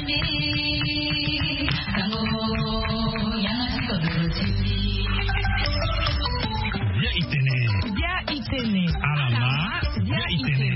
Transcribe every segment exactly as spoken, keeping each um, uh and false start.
Bia itene. Bia itene. Alama. Bia itene.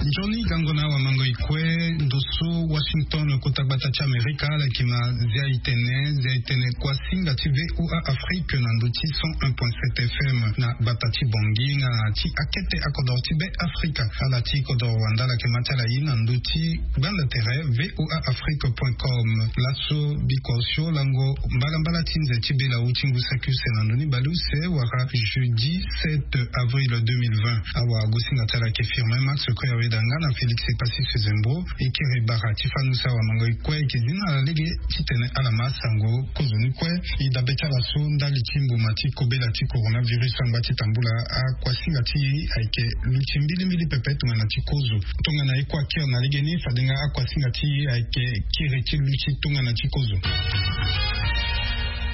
Njoni gango na awamango ikue ndo so Washington, kota gbata ti Amerika, ala yeke ma Zia itene. Zia itene kuasinga ti VOA Afrique na ndo ti cent un point sept FM na gbata ti Bangui nga na ti akete akodoro ti Be Afrika. Ala ti kodoro wande ala yeke ma ti ala ye na ndo ti gbanda tere VOA Afrique point com. Laso bikua osio lango mbalambala ti nze ti bela ti ngu saki use na ndo ni baleuse wala jeudi sept avril deux mille vingt. Awagosinga ti ala ayeke Firmin Max Koyaweda nga na Félix Epassis Sezembro. E kiri bara ti fani use awamango ikue ayeke zi na ala lege titene ala ma sango kozo ni kue. E dabe ti ala so ndali ti mbuma ti kobela ti coronavirus angba ti tambula akuasinga ti e ayeke luti mbilimbili pepe tongana ti kozo. Tongana e kue akiri na legeni fade nga akuasinga ti e ayeke kiri ti luti tongana ti kozo.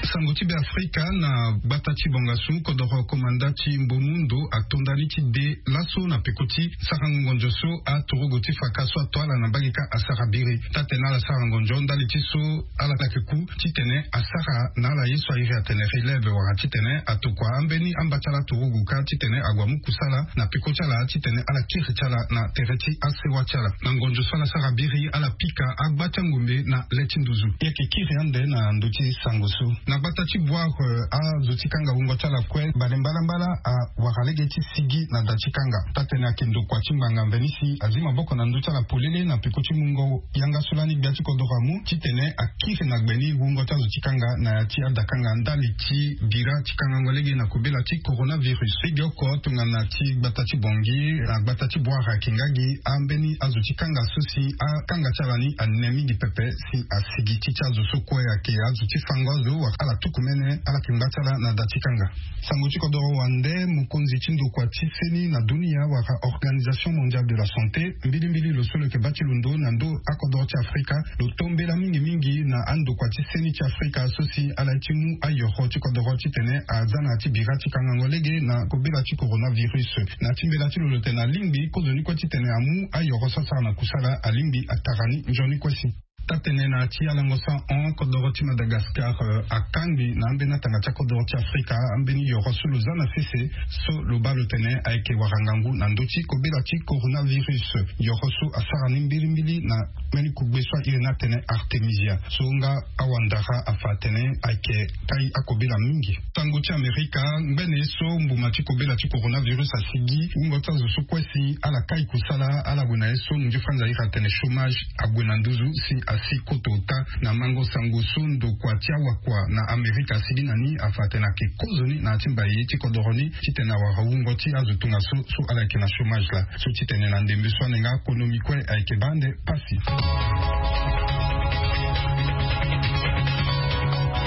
Sango ti Be Afrika na gbata ti Bangassou, kodoro komanda ti Mbomundo atonda ni ti de laso na peko ti sarango ngonzo so aturugu ti faka so ato ala na mbage kâ asara biri. Taa-tene ala sara ngonzo ndali ti so ala yeke ku titene asara na ala ye so a iri atene relève wala titene atokua ambeni amba ti ala aturugu kâ titene ague amu kusala na peko ti ala titene ala kiri ti ala na tere ti asewa ti ala. Na ngonzo so ala sara biri ala pika agba ti angombe na le ti nduzu. E yeke kiri ande na ndo ti sango so. Na gbata ti Bouar, eh, azo ti kanga wungo ti ala kue bale mbalambala awara lege ti sigi na da ti kanga. Taa-tene ayeke ndokua ti ngbanga mveni si azi maboko na ndö ti ala polele na peko ti mungo yanga so lani gbia ti kodoro amu titene akiri na gbe ni wungo ti azo ti kanga na ya ti adakanga ndali ti bira ti kangango lege na kobela ti coronavirus. Lege oko tongana ti gbata ti Bangui na gbata ti Bouar ayeke nga gi ambeni azo ti kanga so si akanga ti ala ni ane mingi pepe si asigi ti ti azo so kue ayeke azo ti fango azo wala ala tuku mene ala yeke ngba ti ala na da ti kanga. Sango ti kodoro wande, mokonzi ti ndokua ti seni na dunia wala Organisation Mondiale de la Santé, mbilimbili lo so lo yeke baa ti londo na ndo akodoro ti Afrika, lo tombela mingi mingi na andokua ti seni ti Afrika so si ala ye ti mu ayoro ti kodoro titene aza na ya ti bira ti kangango lege na kobela ti coronavirus. Na ya ti mbela ti lo lo tene alingbi kozo ni kue titene amu ayoro so asara na kusala alingbi atara ni nzoni kue si. Taa-tene na ya ti alango so ahon kodoro ti Madagascar, eh, akangbi na ambeni atanga ti akodoro ti Afrika ambeni yoro so lo za na sese so lo baa lo tene ayeke wara ngangu na ndö ti kobela ti coronavirus. Yoro so asara ni mbilimbili na mbeni kugbe so a iri ni atene Artemisia so nga awandara afa atene ayeke kai akobela mingi. Tango ti Amerika, ngbene ye so mbuma ti kobela ti coronavirus asigi, wungo ti azo so kue si ala kai kusala, ala gue na ye so munzu franza iri atene chômage ague na nduzu si asi koto ota. Na mango sango so ndokua ti awakua na Amerika asigi na ni afa atene ayeke kozo ni na ya ti mbai ti kodoro ni titene awara wungo ti azo tongaso so ala yeke na chômage laa. So titene na ndembe so ane nga konomi kue ayeke baa ande pasi.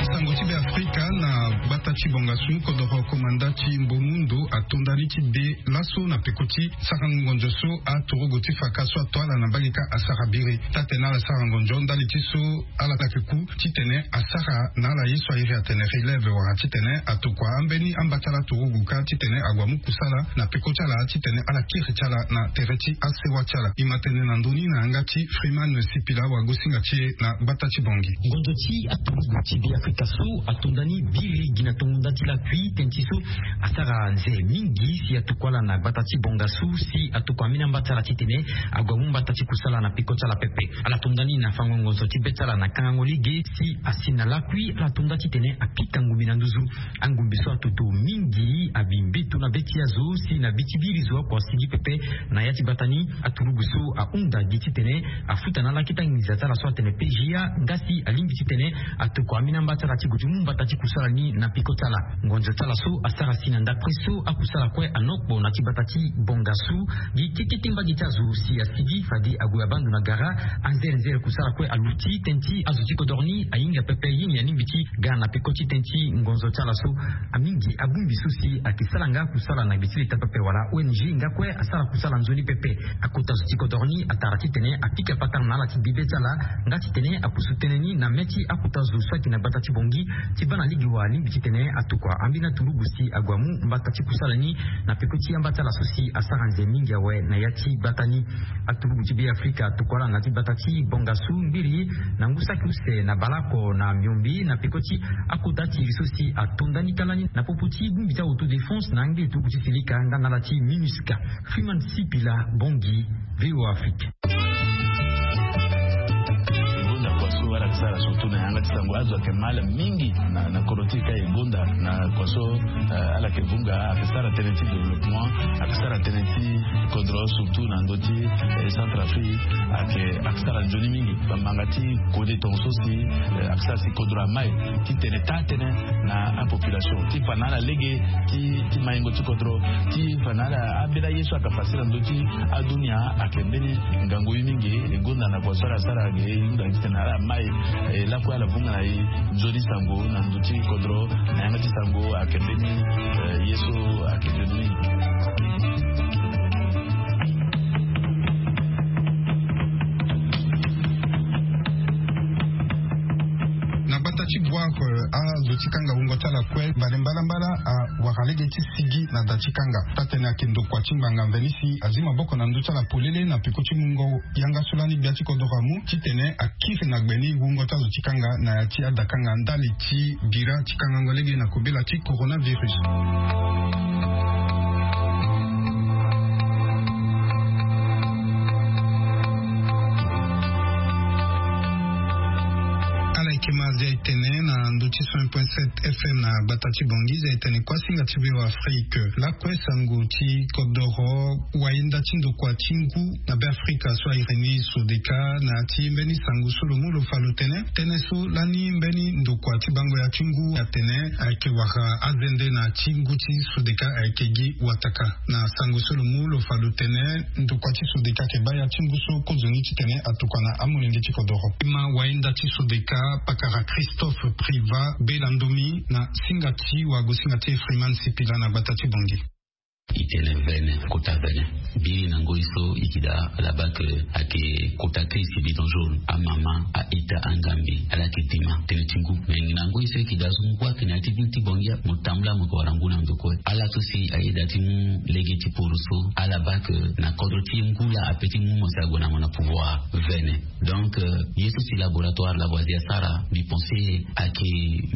Sango ti Be Afrika na gbata ti Bangassou, kodoro komanda ti Mbomundo atonda ni ti de laso na peko ti sarango ngonzo so aturugu ti faka so ato ala na mbage kâ asara biri. Taa-tene ala sara ngonzo ndali ti so ala yeke ku titene asara na ala ye so a iri atene relève wala titene atokua ambeni amba ti ala aturugu kâ titene ague amu kusala na peko ti ala titene ala kiri ti ala na tere ti asewa ti ala. E ma tene na ndö ni na yanga ti Freeman Sipila awagosinga ti e na gbata ti Bangui. Ngonzo ti aturugu ti Be Afrika so atonda ni biri gi na tongo nda ti lakui tënë ti so asara nze mingi si atokua ala na gbata ti Bangassou si atokua ambeni amba ti ala titene ague amu mbata ti kusala na peko ti ala pepe. Ala tonda ni na fango ngonzo ti be ti ala na kangango lege si asi na lakui ala tonda titene apika ngumbi na nduzu. Angumbi so atoto mingi abi mbeto na be ti azo si na be ti biri zo oko asigi pepe. Na ya ti gbata ni aturugu so ahunda gi titene afuta na ala kita nginza ti ala so atene P G A nga si alingbi titene atokua ambeni amba ti ala ti gue ti mu mbata ti kusala ni na peko ti ala. Ngonzo ti ala so asara si na ndapre so akusala kue anokpo na ti gbata ti Bangassou. Gi kete ti mbage ti azo si asigi fade ague abaa ndo na gara. Anzere nzere kusala kue aluti tënë ti azo ti kodoro ni ahinga pepe ye ni alingbi ti ga na peko ti tënë ti ngonzo ti ala so. Amingi abongbi so si ayeke sara nga kusala na gbe ti leta pepe wala O N G nga kue asara kusala nzoni pepe. Akota zo ti kodoro ni atara titene apika patara na ala ti bibe ti ala nga titene apusu tënë ni na mê ti akota zo so ayeke na gbata ti Bangui ti baa na Lege wa alingbi titene atokua ambeni aturugu si ague amu mbata ti kusala ni na peko ti amba ti ala so si asara nze mingi awe na ya ti gbata ni. Aturugu ti be afrika atokua ala na ti gbata ti bongasu ngiri na ngu saki use na baleoko na miombe na peko ti akota ti iri so si ato ndani kala ni na popo ti bongbi ti autodéfense na angbi turugu ti silika nga na ala ti minusca. Freeman sipila, bongi. Véo afrique. Gonda kua so ala ke sara surtout na yanga ti sango azo ayeke mal mingi na kodro ti e ka e gonda na kua so ala ke vunga ayeke sara tënë ti développement, ayeke sara tënë ti kodro surtout na ndö ti centre afrique. Ayeke ayeke sara nzoni mingi bambanga ti kode tonga so si ayeke sara si kodro amai titene taa tënë na apopulation ti fa na ala lege ti maingo ti kodro ti fa na ala ambeni aye so ayeke fasi na ndö ti adunia. Ayeke mbeni ngangu ye mingi e gonda na kua so ala sara ge e hunda titene ala mai e lakue ala vunga na e nzoni sango na ndö ti kodro na yanga ti sango ayeke mbeni ye so ayeke nzoni mingi. Na gbata ti boire azo ti kanga wungo ti ala kue mbale mbalambala awara lege ti sigi na da ti kanga taa-tënë ayeke ndokua ti ngbanga mveni si azi maboko na ndö ti ala polele na peko ti mungo yanga so lani gbia ti kodoro amu titene akiri na gbe ni wungo ti azo ti kanga na ya ti adakanga ndali ti bira ti kangango lege na kobela ti coronavirus. Ala yeke ma zia etene na ndö ti cent point sept fm na gbata ti bongi zia etene kua singa ti véo afrique lakue sango ti kodoro. Wayenda ti ndokua ti ngu na be afrika so airi ni sodeka na ya ti mbeni sango so lo mu lo fa lo tene tënë so lani mbeni ndokua ti bango ya ti ngu atene ayeke wara azende na ti ngu ti sodeka ayeke gi wataka. Na sango so lo mu lo fa lo tene ndokua ti sodeka ayeke baa ya ti ngu so kozoni titene atokua na amolenge ti kodoro. Ima wayenda ti sodeka pakara christophe priva bela ndomi na singa ti wagosinga ti efriman sipila na gbata ti bongi. E tene vene kota vene biri na ngoi so e ke daa ala baa ke ayeke kota crise bidon jaune amama a-ita angambi ala yeke dima tënë ti ngu. Me na ngoi so e ke daa so ngu ayeke na ya ti vini ti bongi mo tambula mo yeke wara ngu na ndo kue ala so si ayeda ti mu lege ti poro so ala baa ke na kodro ti e ngu laa ape ti mu mo si ague na mo na pouvoir vene. Donc ye so si laboratoire lavoisier asara mbi pense ayeke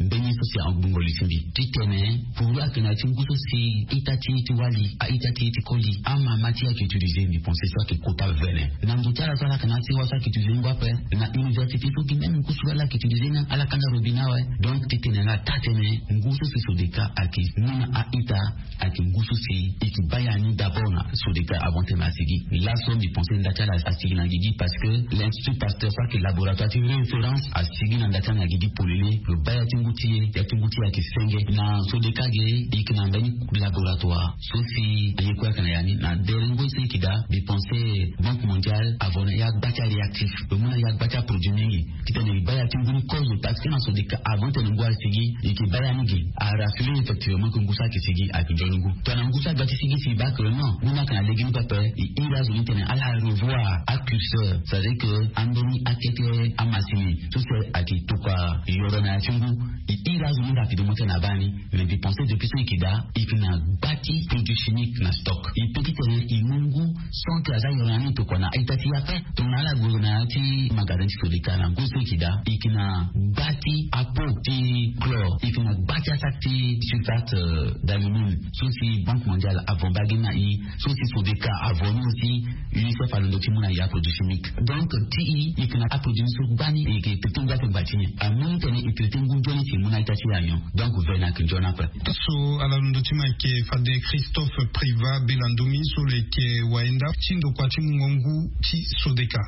mbeni ye so si agbungo li ti mbi titene puru ayeke na ya ti ngu so si ita ti e ti wali a-ita ti e ti koli amama ti e ayeke utilize mbi pense so ayeke kota vene. Na ndo ti ala so ala yeke na ya ti wa so ayeke utilize ngu ape na université so gi même ngu so ala yeke utilize ni ala kanda robinet awe. Donc titene nga taa-tënë ngu so si sodeka ayeke mu na a-ita ayeke ngu so si e ke baa ya ni d'abord na sodeka avant tene asigi. Laso mbi pense nda ti ala asigi na gigi parce que l'institut pasteur so ayeke laboratoire ti référence asigi na nda ti ala na gigi polele. Lo baa ya ti ngu ti e ya ti ngu ti e ayeke senge na sodeka ge e yeke na mbeni laboratoire so si aye kue ayeke na ya ni na dere ngoi so e yeke daa mbi pense banque mondiale avo na ya gba ti aréactif lo mu na ya gba ti aproduit mingi. Titene e baa ya ti ngu ni kozo parce que na sodeka avant tene ngu asigi e ke baa ya ni ge. Arassurer effectivement ke ngu so ayeke sigi ayeke nzoni ngu tongana ngu so agba ti sigi si e baa ke non ngu ni ayeke na lege ni pepe. E iri azo ni tene ala revoir acurseur c'est-à-dire ke ambeni akete amasini so si ayeke tokua yoro na ya ti ngu. E iri azo ni rapidement tene abaa ni. Mais mbi pense depuis so e ke daa e ke na gba ti produit chimique na stock e pe titene e mu ngu sans ke aza yoro na ni tokua na a-ita ti e ape. Tongana ala gue na ya ti magasin ti sodeka na ngu so e ke daa e ke na gba ti apo ti chlore e ke na gba ti asak ti sulfate d'alumine so si banque mondiale avon bagi na e so si sodeka avon ni aussi. Unicef alondo ti mu na e aproduit chimique donc ti e e ke na aproduit ni so gbani e ke traité ngu ape ngba ti ni amu ni tene e traité ngu nzoni si e mu na a-ita ti e anyon. Donc vene ayeke nzoni ape. So ala londo ti ma ayeke fade christophe priva bela ndomi so lo yeke wayenda ti ndokua ti mungo ngu ti sodeka.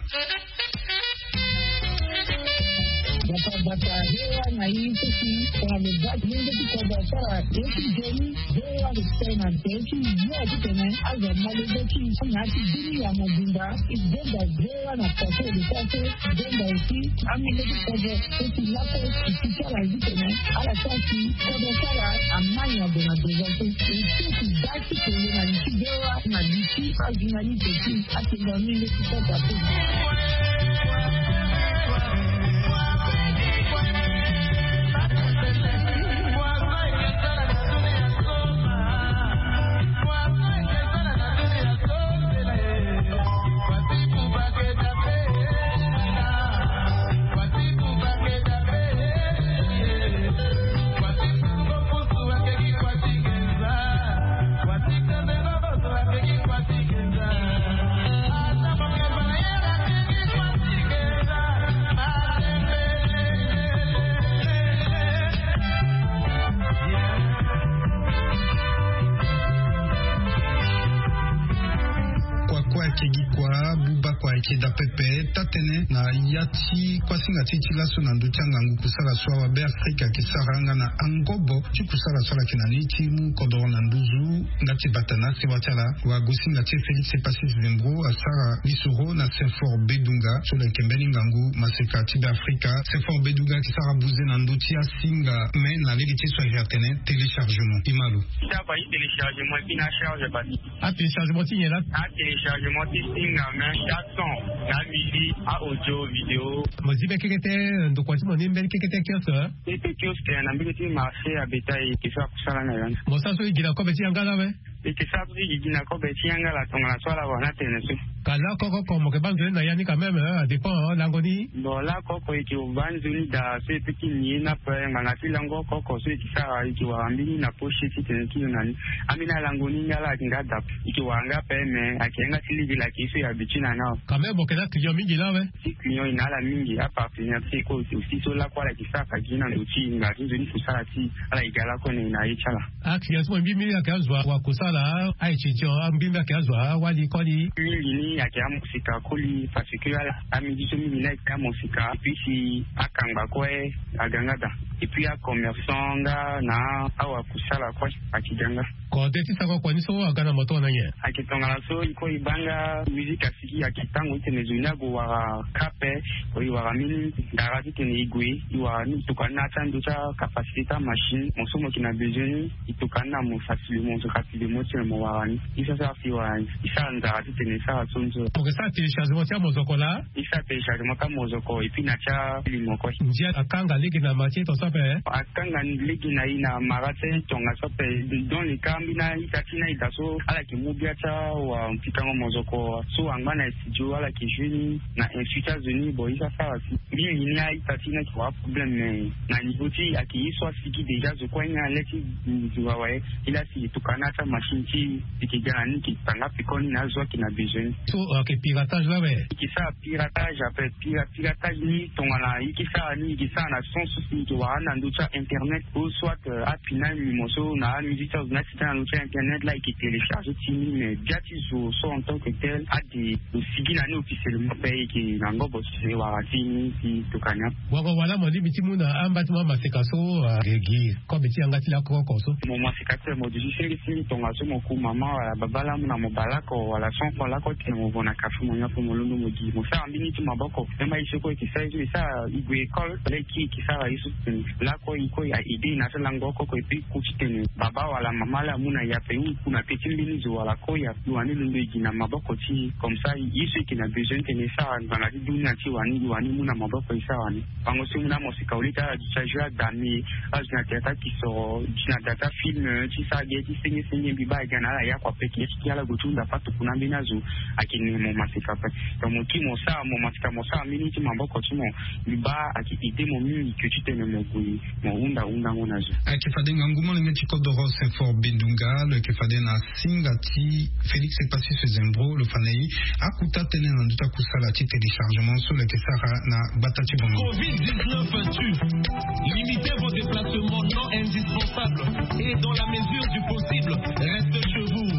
Bata bata hewa na ye ti si tongana lo baa ti lenge ti kodro asara ye ti nzoni. Hewa lo tene na nze ti ye titene azo amolenge ti na ya ti bini ya mobimba. E gonda hewa na kua so lo sara so. Gonda aussi amolenge ti kodro so si lakue e si ti ala zi tene ala sara si kodro ti ala amai na gue na devant so. E so si baa ti kele na li ti hewa na li ti ajournaliste ti atene amolenge ti kodro ape. Ake gi kua buba kua eke da pepe tatene na ya ti kuasinga ti ti laso na ndö ti angangu kusala so awa be afrika ake sara nga na angobo ti kusala so ala yeke na ni ti mu kodoro na nduzu. Nga ti bata na sewa ti ala wa gosinga ti e félix epasis zembro asara lisoro na senfor bedunga so lo yeke mbeni ngangu maseka ti be afrika. Senfor bedunga ake sara buze na ndö ti asinga me na lege ti e so ayeke atene téléchargement imalo. Téléchargement ti nyen laa? Atéléchargement ti singa me, ason, na musique, a audio vidéo. Mo zi be kekete? Ndokua ti mo ni mbeni kekete kiosque? Kekete kiosque na mbege ti marché abeta e ke so akusala na ya ni. Mo sara so e gi na kobe ti yanga laa awe? E ke sara so e gi na kobe ti yanga laa tongana so ala wara ni atene so. Ka lakoko oko mo ke baa nzoni na ya ni quand même, adépend lango ni. Bon lakoko oko e ke baa nzoni daa so e pe ti ni ye ni ape ngbanga ti lango oko oko so e ke sara e ke wara mbeni na poche ti tene ti lo na ni. Ambeni alango ni nga laa ayeke nga daa ape. E ke wara nga ape me ayeke yanga ti lege laa ayeke ye so e habitue na ni awe. Quand même mo yeke na client mingi laa awe? Ti client e na ala mingi apartenaire ti e kue aussi so lakue ala yeke sara ka gi na ndo ti e ngbanga ti nzoni kusala ti e. Ala yeke ga lakue na e na ye ti ala. Aclient ti mo mbi mbi ayeke azo wa kusala? Aye ti ti o mbi mbi ayeke azo awali koli? Mingi ni ayeke amosika koli parce que ala amidi so mingi ni ayeke amosika et puis si akangba kue aga nga daa. Et puis acommerçant nga na awakusala kue ayeke ga nga. Kode ti sako kua ni so aga na moto na nyen? Ayeke tongana so e kue e baa nga musique asigi ayeke tango ti tene zo ni ague wara kape. Ko e wara mbeni ndara ti tene e gue e wara ni e tokua ni na ya ti ando ti akapasité ti amachine mo so mo yeke na besoin ni. E tokua ni na mo facilement so rapidement ti tene mo wara ni. E sara sara si wara ni e sara nzara ti tene e sara so ni so. Mo ke sara téléchargement ti amozoko laa? E sara téléchargement ti amozoko et puis na ti alimo kue. Ndia akanga lege na ma ti e tongaso ape? Akanga lege na e na mara ti tongaso ape. Dans le cas ambeni a-ita ti ni a-ita so ala yeke mu bia ti awa pikango mozoko so angba na studio ala yeke jeu ni na insu ti azo ni bon e sara sara si mingi ni a-ita ti ni ayeke wara problème mais na niveau ti e ayeke ye so asigi déjà zo kue ni ale ti zo awe. E laa si e tokua ni na ya ti amachine ti e e yeke ga na ni e yeke tanga peko ni na azo ayeke na besoin ni. So ayeke piratage laa awe? E yeke sara piratage ape. Piratage ni tongana e yeke sara ni e yeke sara na sens so si e yeke wara ni na ndö ti a-internet ou soit apina ni mo so na amusique ti azo ni asita na ndö ti a-internet laa e yeke télécharger ti ni mais bia ti zo so en tant que tel ade lo sigi na ni officiellement ape e yeke na ngobo ti e wara ti ni ti tokua ni ape. Wango wala mo lingbi ti mu na amba ti mo amaseka so? Gi kobe ti yanga ti lakoko so mo maseka ti mo duti sengesengi tongaso mo ku mama wala baba laa amu na mo bale oko wala son oko lakue ti tene mo vo na kafe mo nyon ape mo londo mo gi mo sara mbeni ti maboko. Même aye so kue e yeke sara ye so e sara e gue école laa e kiri e yeke sara ye so ti tene lakue e kue a aide e na ya ti lango oko oko et puis e ku ti tene baba wala mama laa amu na e ape ou e ku na pe ti mbeni zo wala kue e wani londo e gi na maboko ti e comme ça ye so e yeke na besoin ti tene e sara ngbanga ti dunia ti e wani e wani mu na maboko e sara wani. Bango so e mu na amoseka au lieu ti ala duti ajoue adame azo na théâtre akisoro duti na da ti afilm ti sara ge ti sengesenge mbi baa e ga na ala ya kua peke ti ala gue ti hunda patokua na ambeni azo. Ayeke ne mo maseka ape. Donc mo kiri mo sara mo maseka mo sara mbeni ti maboko ti mo mbi baa ayeke aide mo mingi ke ti tene mo gue mo hunda hundango na zo. Ayeke fade ngangu molenge ti kodoro senfor bendunga lo yeke fade na singa ti félix epasis zembro lo fa na e akuta tënë na ndö ti akusala ti téléchargement so lo yeke sara na gbata ti bongo. Covid dix-neuf tue. Limitez vos déplacements non indispensables et dans la mesure du possible, restez chez vous.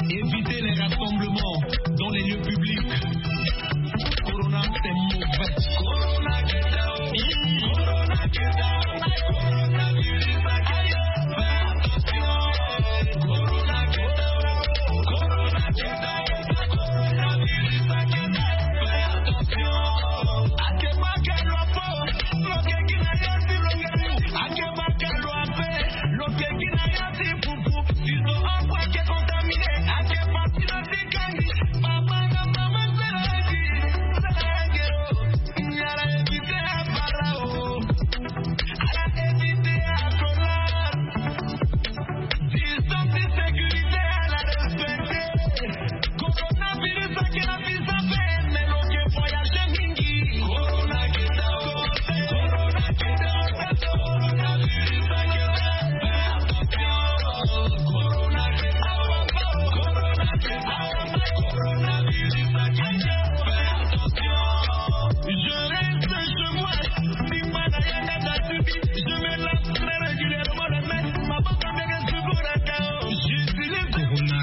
Évitez les rassemblements dans les lieux publics. Corona, c'est mauvais. Corona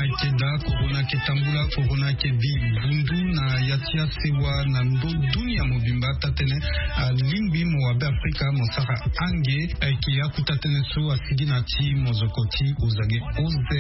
eke daa, corona eke tambula. Corona ayeke bi vundu na ya ti asewa na ndo dunia mobimba. Taa-tënë alingbi mo wa Be Afrika mo sara ange. Ayeke akuta tënë so asigi na ti mozoko ti Ozage O Z.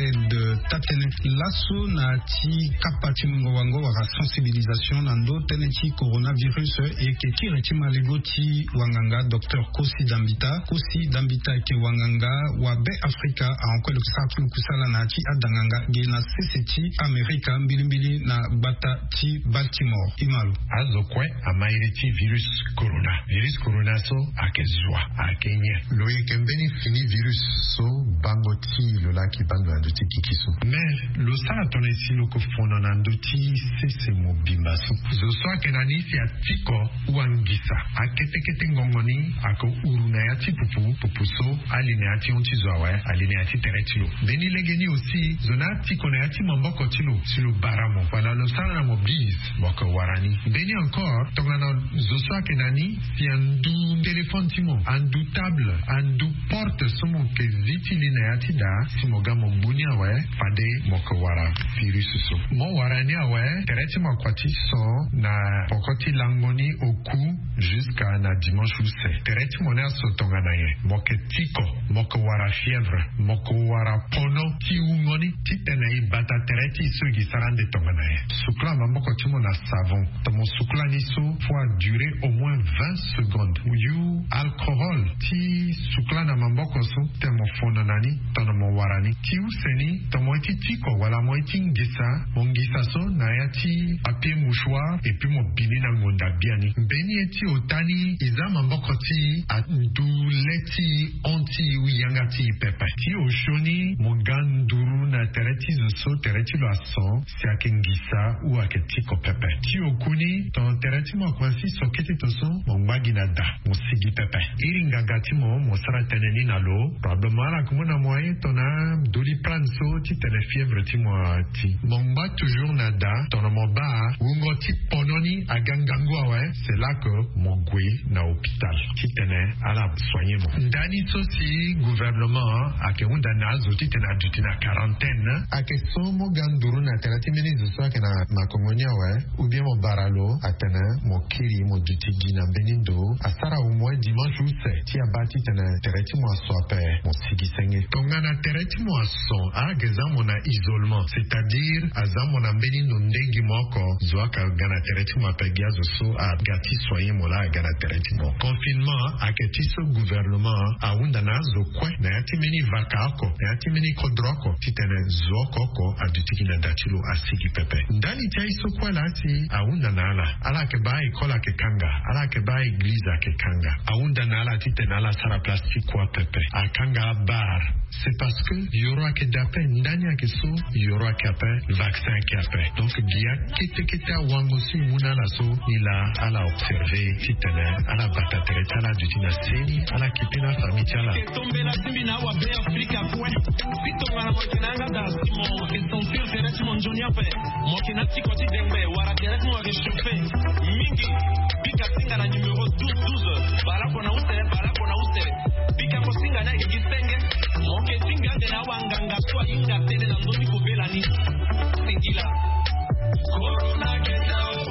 Taa-tënë laso na ti kapa ti mungo wango wala sensibilisation na ndo tënë ti coronavirus, e yeke kiri ti malego ti wanganga docteur Kosi Dambita. Kosi Dambita ayeke wanganga wa Be Afrika, ahon kue lo yeke sara ti lo kusala na ya ti adanganga ge na sese ti Amerika, mbilimbili na gbata ti Baltimore. Imalo. Azo kue ama iri ti virus corona. Virus corona so ayeke zo wa, ayeke nyen? Lo yeke mbeni fini virus so bango ti lo laki bando na ndö ti gigi so. Mais lo sara tongana si lo yeke fono na ndö ti sese mobimba so. Zo so ayeke na ni si atiko wangisa. Akete kete ngongo ni ayeke huru na ya ti pupu, pupu so ali na ya ti hon ti zo awe, ali na ya ti tere ti lo. Mbeni lege ni aussi, zo ni atiko na ya ti maboko ti lo si lo bara mo wala lo sara na mo bise, mo yeke wara ni. Mbeni encore tongana zo so ayeke na ni si andu téléphone ti mo, andu table, andu porte so mo yeke zi ti li na ya ti da, si mo ga mo gbu ni awe, fade mo yeke wara virus so. Mo wara ni awe, tere ti mo akua ti so na poko ti lango ni oku jusqu'à na dimanche use. Tere ti mo ni aso tongana nyen? Mo yeke tiko, mo yeke wara fièvre, mo yeke wara pono ti wungo ni titene e bata tere ti e so e gi sara ande tongana nyen? Sukula maboko ti mo na savon. Tongana mo sukula ni so, faut a durer au moins vingt secondes. Yu alcohol ti sukula na maboko so, tongana mo fono na ni, tongana mo wara ni. Ti use ni, tongana mo ye ti tiko wala mo ye ti ngisa, mo ngisa so na ya ti papier mouchoir, et puis mo bi ni na ngonda biani. Mbeni ye ti ota ni, e za maboko ti e andu le ti e, hon ti e, yanga ti e pepe. Ti osio ni, mo ga nduru na tere ti zo so tere ti lo aso, si ayeke ngisa ou ayeke tiko pepe. Ti oku ni, tongana tere ti mo akomanse so kete to so, mo ngba gi na da, mo sigi pepe. Iri nganga ti mo, mo sara tënë ni na lo. Probablement ala yeke mu na mo aye tongana Doliprane so titene fièvre ti mo ati. Mo ngba toujours na da, tongana mo baa wungo ti pono ni aga ngangu awe, c'est là que mo gue na hôpital titene ala soigner mo. Ndani so si gouvernement ayeke hunda na azo titene aduti na quarantaine. Ayeke so mo ga nduru na tere ti mbeni zo so ayeke na makongo ni awe, ou bien mo bara lo atene mo kiri mo duti gi na mbeni ndo, asara au moins dimanche use, ti abaa titene tere ti mo aso ape, mo sigi senge. Tongana tere ti mo aso, ayeke za mo na isolement, c'est-à-dire aza mo na mbeni ndo nde gi mo oko, zo ayeke ga na tere ti mo ape, gi azo so aga ti soigner mo laa aga na tere ti mo. Confinement ayeke ti so gouvernement ahunda na azo kue na ya ti mbeni vaka oko, na ya ti mbeni kodro oko, titene zo oko oko aduti gi na da ti lo, asigi pepe. Ndali ti aye so kue laa si ahunda na ala, ala yeke baa école ayeke kanga, ala yeke baa église ayeke kanga. Ahunda na ala titene ala sara place ti kua pepe. Akanga abar. C'est parce que yoro ayeke da ape, ndani ayeke so, yoro ayeke ape, vaccin ayeke ape. Donc gi akete kete awango so e mu na ala so, ni laa ala observer titene ala bata tere ti ala aduti na seni, ala kipe na afamille ti ala. Tombela ti mbi na awa Be Afrika kue. Si tongana mo yeke na yanga da, si mo yeke sentir tere ti mo nzoni ape, mo yeke na tiko ti dengbe wala tere ti mo ayeke chauffer mingi, bika singa na numéro douze douze. Bale oko na use, bale oko na use. Bika mo singa ni ayeke gi senge. Mo yeke singa ande na awanganga so ahinga tënë na ndö ti kobela ni. Singila. Corona keta o,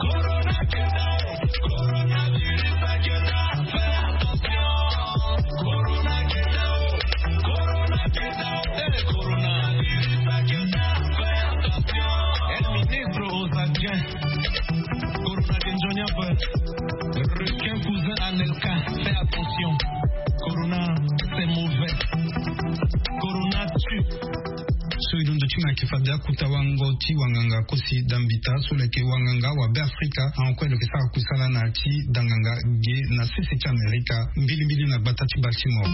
corona keta o, coronavirus aketa, fais attention. Corona keta o, corona keta o, eh, coronavirus aketa, fais attention. El ministre aux adjoints. Corona ke nzoni ape. Requin cousin Anelka, fais attention. Corona, c'est mauvais. Corona tue. So e londo ti mo ayeke fade akuta wango ti wanganga Kosi Dambita so lo yeke wanganga wa Be Afrika, ahon kue lo yeke sara kusala na ya ti danganga ge na sese ti Amerika, mbilimbili na gbata ti Baltimore.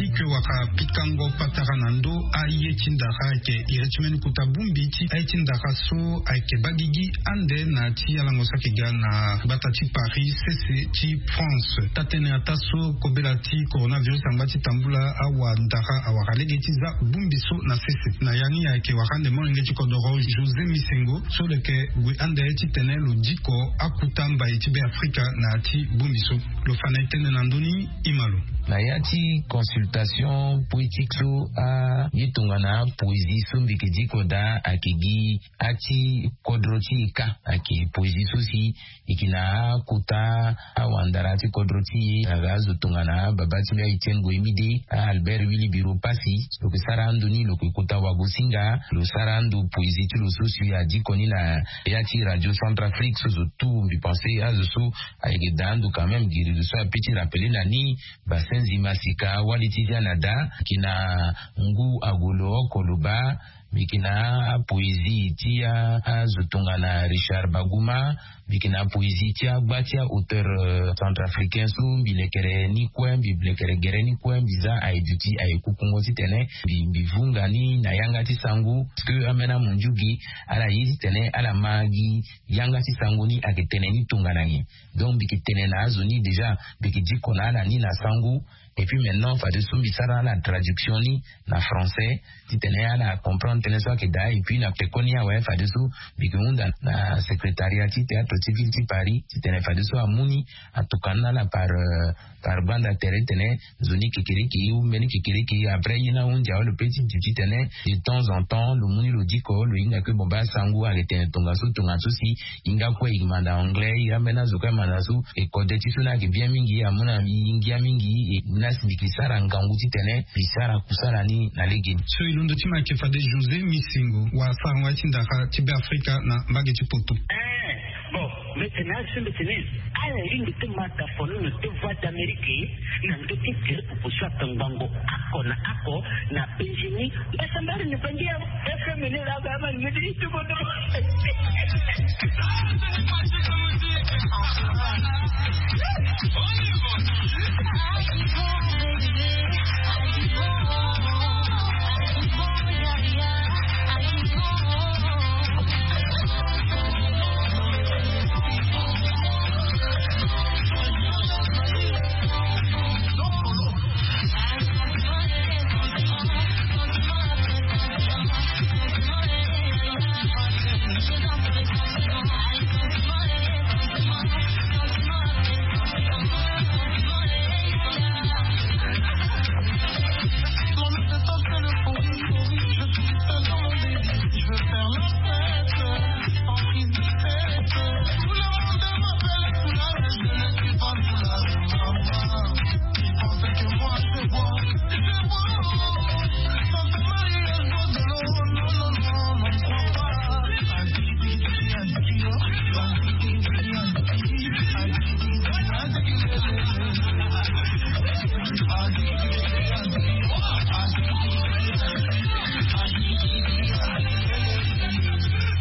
Ike waka pikango patara na ndo aye ti ndara ayeke iri ti mbeni kota bongbi ti aye ti ndara so ayeke baa gigi ande na ti alango so ayeke ga na gbata ti Paris sese ti France. Taa-tënë ataa so kobela ti coronavirus angba ti tambula awa ndara awara lege ti za bongbi so na sese. Na ya ni ayeke wara ande molenge ti kodoro José Misengo so lo yeke gue ande titene lo diko akuta mbai ti Beafrika na ya ti bongbi so. Lo fa na e tënë na ndö ni. Imalo. Na ya ti consultation poétique so, aye tongana poésie so mbi yeke diko daa ayeke gi ati kodro ti e kâ. Ayeke poésie so si e yeke na akota awandara ti kodro ti e aga azo tongana baba ti mbi a Etienne Goyemide, a Albert Willy Biro Passy. Lo yeke sara ando ni lo yeke kota wagosinga lo sara ando poésie ti lo so si adiko ni na ya ti Radio Centrafrique so zo tout mbi pense azo so ayeke daa ando quand même giri zo so ape ti rappeler na ni. Basenzi masika wali ti dia na daa mbi yeke na ngu agolo oko lo baa. Mbi yeke na apoésie ti azo tongana Richard Baguma. Mbi yeke na apoésie ti agba ti aauteur centrafricain so mbi lekere ni kue mbi lekere gere ni kue mbi za aye duti aye kukungo titene mbi vunga ni na yanga ti sango. Parce que ambeni amondiu gi ala ye titene ala ma gi yanga ti sango ni ayeke tene ni tongana nyen. Donc mbi yeke tene na azo ni déjà mbi yeke diko na ala ni na sango. Et puis maintenant fadeso mbi sara ala traduction ni na français titene ala comprendre tënë so ayeke daa. Et puis na pekoni awe fadeso mbi yeke hunda na secrétariat ti théâtre ti ville ti Paris titene fadeso amu ni atokua ni na ala par par banda tere titene nzoni kekereke ou mbeni kekereke après ye ni ahunzi awe lo pe ti duti titene de temps en temps lo mu ni lo diko lo hinga kue bon baa sango ayeke tene tongaso tongaso si. Hinga kue e manda anglais e ambeni azo kue amanda so e kode ti so ni ayeke bien mingi amu na e ngia mingi. E ni asi mbi yeke sara ngangu titene mbi sara kusala ni na legeni. So e londo ti ma ayeke fade José Misengo wala sarango aye ti ndara ti Beafrika na mbage ti poto. Bon, mbi tene asi mbi tene ala lingbi ti ma dafono na deux voix d'Amérique na ndö ti tere pupu so atongbango ako na ako na bengini. Mbasa mbari ni bangi ya FM ni la ba ma ni ti kodo.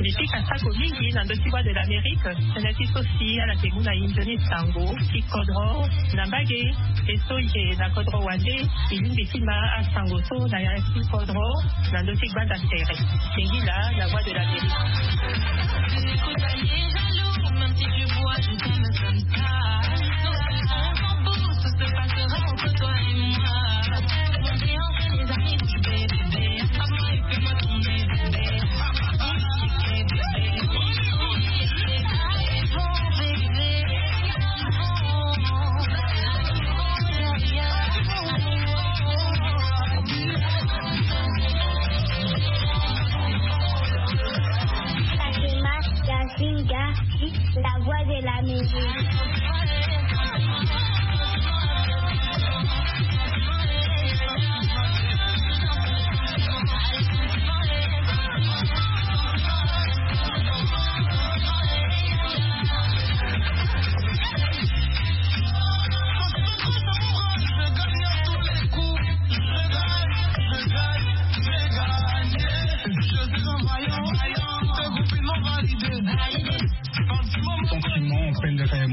Mbi pika sako mingi na ndö ti Voix de l'Amérique. Tënë ti so si ala yeke mu na e nzoni sango ti kodro na mbage. E so e yeke na kodro wande e lingbi ti ma asango so na ya ti kodro na ndö ti gbanda tere. Singila na Voix de l'Amérique. Fatima Yasinga, la voix de la musique. Sentiment pendere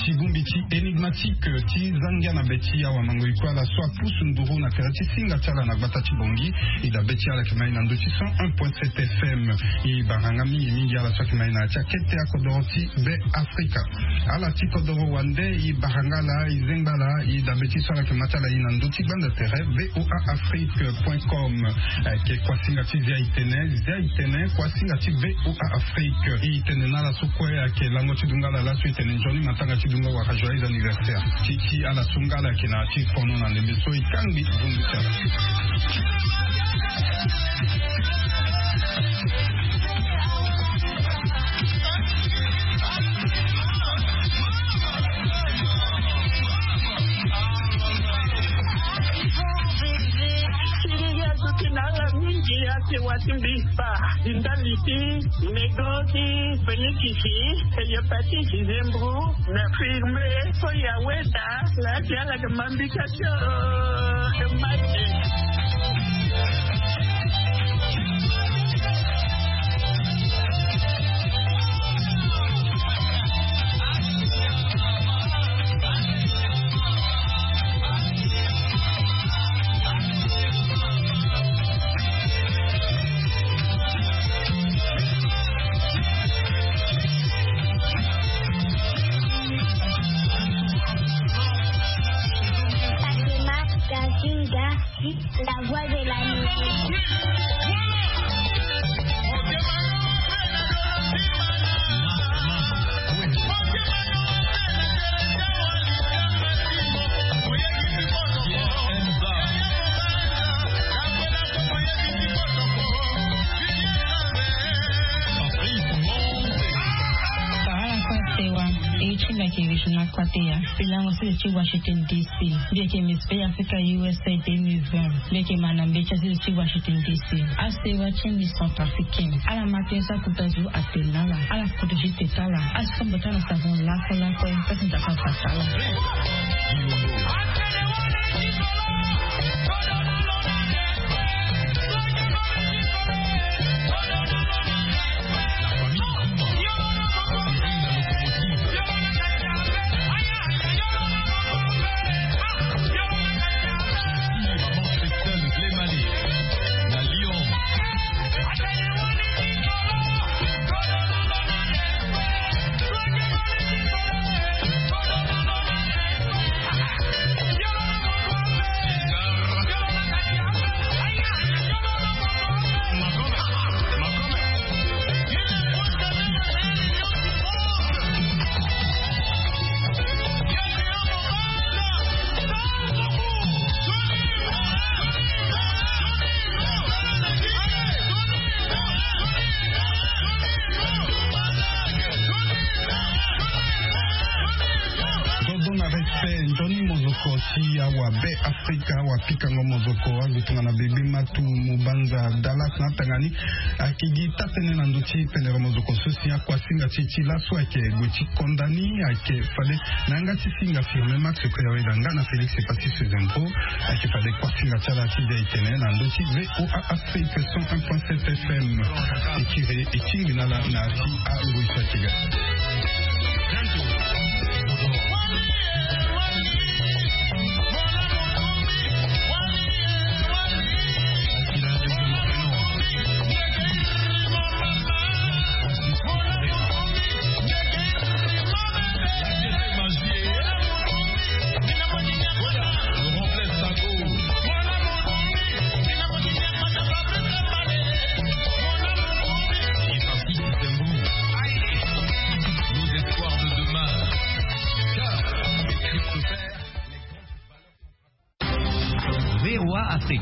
Ti bongbi ti énigmatique ti zangia na be ti awa mango ikue ala so apusu nduru na tere ti singa ti ala na gbata ti bongi. I dabe ti ala yeke mai na ndö ti cent un point sept F M. I baranga mingi mingi ala so ayeke mai na ya ti akete akodoro ti be afrika. Ala ti kodoro wande i baranga ala i zengba ala i dabe ti so ala yeke ma ti ala i na ndö ti gbanda tere voa afrique point com. Ayeke kuasinga ti zia itene zia itene kuasinga ti voa afrique. I tene na ala so kue ayeke lango ti dungala laso i tene nzoni matanga ti dunga waka joyeux anniversaire ti ti ala so ngala ayeke na ya ti fono na ndembe so i kangbi vundu ti ala. Mingi ya ti wa ti mbi kpa ti ndali ti nego ti fenikisi eyepeti ti zembru na firme so ya weda. La ti ala ke mambika ti o e mati. Fatima Kazinga, la voix de la musique. Ala kue asewa e ye ti mbi ayeke régional kua te ya. Mbi lango sese ti Washington D C. Mbi yeke Miss Bay Africa U S A deux mille vingt. Mbi yeke ma na mbi ti asese ti Washington D C. Asewa ti mbi Centrafricain. Ala ma tënë so akuta zo atene na ala. Ala koto ti teta ala. Asombo ti ala na savon lakue lakue. Pasi nzapa fa ti ala. Dodo na respect nzoni mozoko ti awa be afrika awa pikango mozoko azo tongana bebe matu mobanza dalas na atanga ni. Ayeke gi taa-tënë na ndö ti pendere mozoko so si akuasinga ti e ti laso ayeke gue ti konda ni ayeke fade na yanga ti singa firme max kue awe na nga na félix epasi sezendro. Ayeke fade kuasinga ti ala ti zia e tene na ndö ti voa afrique cent un point sept fm. Ekiri e tingbi na ala na ya ti angoi so ayeke ga.